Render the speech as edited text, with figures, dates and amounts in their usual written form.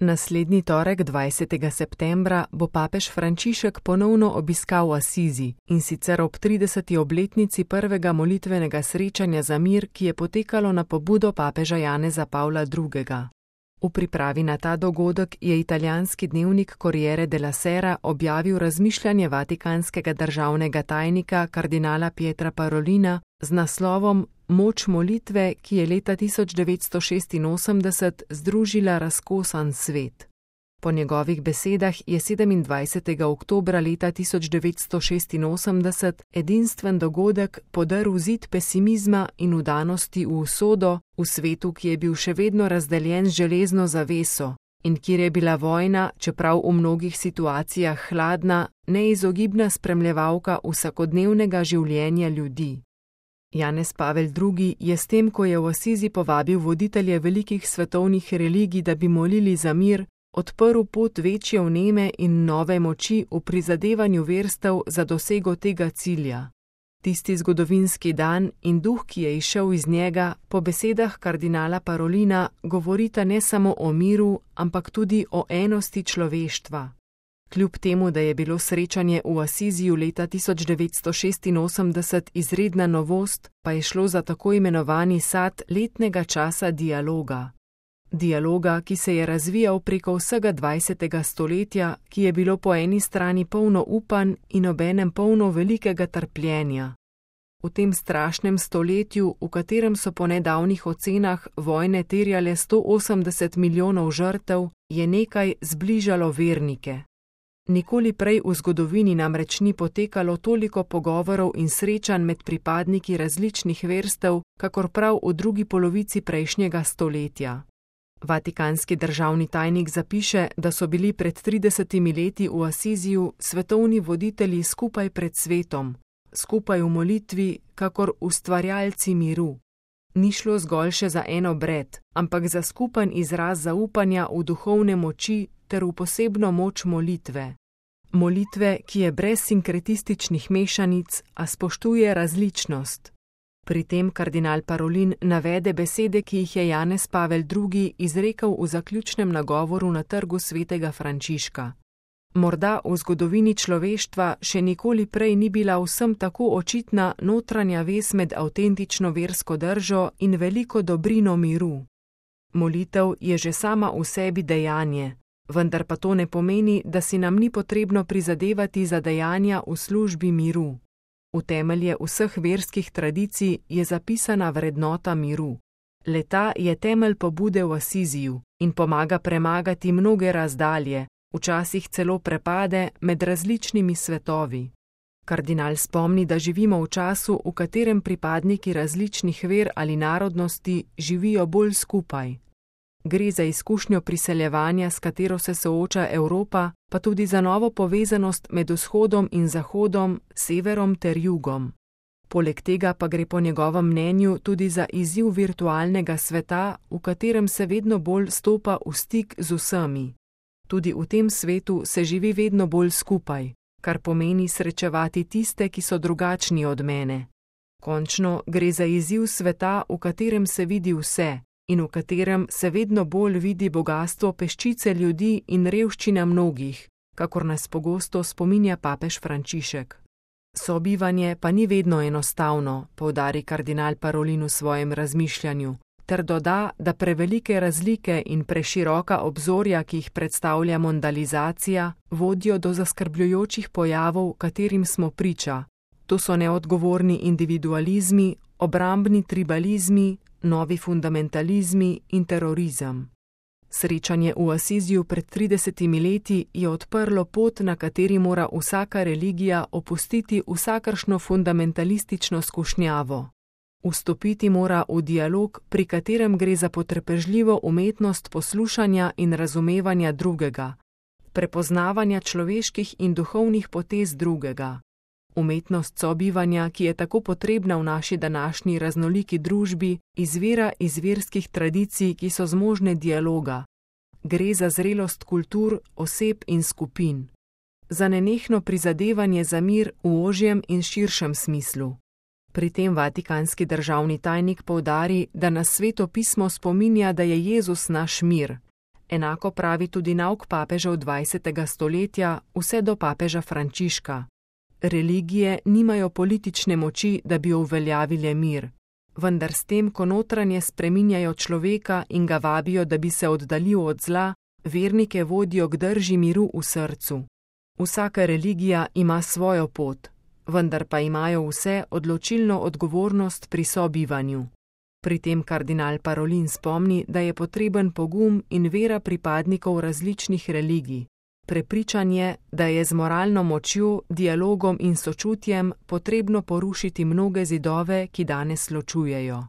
Naslednji torek 20. septembra bo papež Frančišek ponovno obiskal Asizi, in sicer ob 30. obletnici prvega molitvenega srečanja za mir, ki je potekalo na pobudo papeža Janeza Pavla II. V pripravi na ta dogodek je italijanski dnevnik Corriere della Sera objavil razmišljanje vatikanskega državnega tajnika kardinala Pietra Parolina z naslovom Moč molitve, ki je leta 1986 združila razkosan svet. Po njegovih besedah je 27. oktobra leta 1986 edinstven dogodek podrl zid pesimizma in vdanosti v usodo v svetu, ki je bil še vedno razdeljen z železno zaveso in kjer je bila vojna, čeprav v mnogih situacijah hladna, neizogibna spremljevalka vsakodnevnega življenja ljudi. Janez Pavel II. Je s tem, ko je v Asizi povabil voditelje velikih svetovnih religij, da bi molili za mir, odprl pot večje vneme in nove moči v prizadevanju verstev za dosego tega cilja. Tisti zgodovinski dan in duh, ki je izšel iz njega, po besedah kardinala Parolina, govorita ne samo o miru, ampak tudi o enosti človeštva. Kljub temu, da je bilo srečanje v Asiziju leta 1986 izredna novost, pa je šlo za tako imenovani sad letnega časa dialoga. Dialoga, ki se je razvijal preko vsega 20. stoletja, ki je bilo po eni strani polno upanj in obenem polno velikega trpljenja. V tem strašnem stoletju, v katerem so po nedavnih ocenah vojne terjale 180 milijonov žrtev, je nekaj zbližalo vernike. Nikoli prej v zgodovini namreč ni potekalo toliko pogovorov in srečanj med pripadniki različnih verstev, kakor prav v drugi polovici prejšnjega stoletja. Vatikanski državni tajnik zapiše, da so bili pred 30 leti v Asiziju svetovni voditelji skupaj pred svetom, skupaj v molitvi, kakor ustvarjalci miru. Ni šlo zgolj še za en obred, ampak za skupen izraz zaupanja v duhovne moči ter v posebno moč molitve. Molitve, ki je brez sinkretističnih mešanic, a spoštuje različnost. Pri tem kardinal Parolin navede besede, ki jih je Janez Pavel II. Izrekel v zaključnem nagovoru na trgu svetega Frančiška. Morda v zgodovini človeštva še nikoli prej ni bila vsem tako očitna notranja vez med avtentično versko držo in veliko dobrino miru. Molitev je že sama v sebi dejanje, vendar pa to ne pomeni, da si nam ni potrebno prizadevati za dejanja v službi miru. V temelje vseh verskih tradicij je zapisana vrednota miru. Le-ta je temelj pobude v Asiziju in pomaga premagati mnoge razdalje, včasih celo prepade med različnimi svetovi. Kardinal spomni, da živimo v času, v katerem pripadniki različnih ver ali narodnosti živijo bolj skupaj. Gre za izkušnjo priseljevanja, s katero se sooča Evropa, pa tudi za novo povezanost med vzhodom in zahodom, severom ter jugom. Poleg tega pa gre po njegovem mnenju tudi za izziv virtualnega sveta, v katerem se vedno bolj stopa v stik z vsemi. Tudi v tem svetu se živi vedno bolj skupaj, kar pomeni srečevati tiste, ki so drugačni od mene. Končno gre za izziv sveta, v katerem se vidi vse in v katerem se vedno bolj vidi bogastvo peščice ljudi in revščina mnogih, kakor nas pogosto spominja papež Frančišek. Sobivanje pa ni vedno enostavno, poudari kardinal Parolin v svojem razmišljanju, ter doda, da prevelike razlike in preširoka obzorja, ki jih predstavlja mondalizacija, vodijo do zaskrbljujočih pojavov, katerim smo priča. To so neodgovorni individualizmi, obrambni tribalizmi, novi fundamentalizmi in terorizem. Srečanje v Asiziju pred 30 leti je odprlo pot, na kateri mora vsaka religija opustiti vsakršno fundamentalistično skušnjavo. Vstopiti mora v dialog, pri katerem gre za potrpežljivo umetnost poslušanja in razumevanja drugega, prepoznavanja človeških in duhovnih potez drugega. Umetnost sobivanja, ki je tako potrebna v naši današnji raznoliki družbi, izvira iz verskih tradicij, ki so zmožne dialoga. Gre za zrelost kultur, oseb in skupin. Za nenehno prizadevanje za mir v ožjem in širšem smislu. Pri tem vatikanski državni tajnik poudari, da nas Sveto pismo spominja, da je Jezus naš mir. Enako pravi tudi nauk papežev 20. stoletja vse do papeža Frančiška. Religije nimajo politične moči, da bi uveljavile mir, vendar s tem, ko notranje spreminjajo človeka in ga vabijo, da bi se oddaljil od zla, vernike vodijo k drži miru v srcu. Vsaka religija ima svojo pot, vendar pa imajo vse odločilno odgovornost pri sobivanju. Pri tem kardinal Parolin spomni, da je potreben pogum in vera pripadnikov različnih religij. Prepričan je, da je z moralno močjo, dialogom in sočutjem potrebno porušiti mnoge zidove, ki danes ločujejo.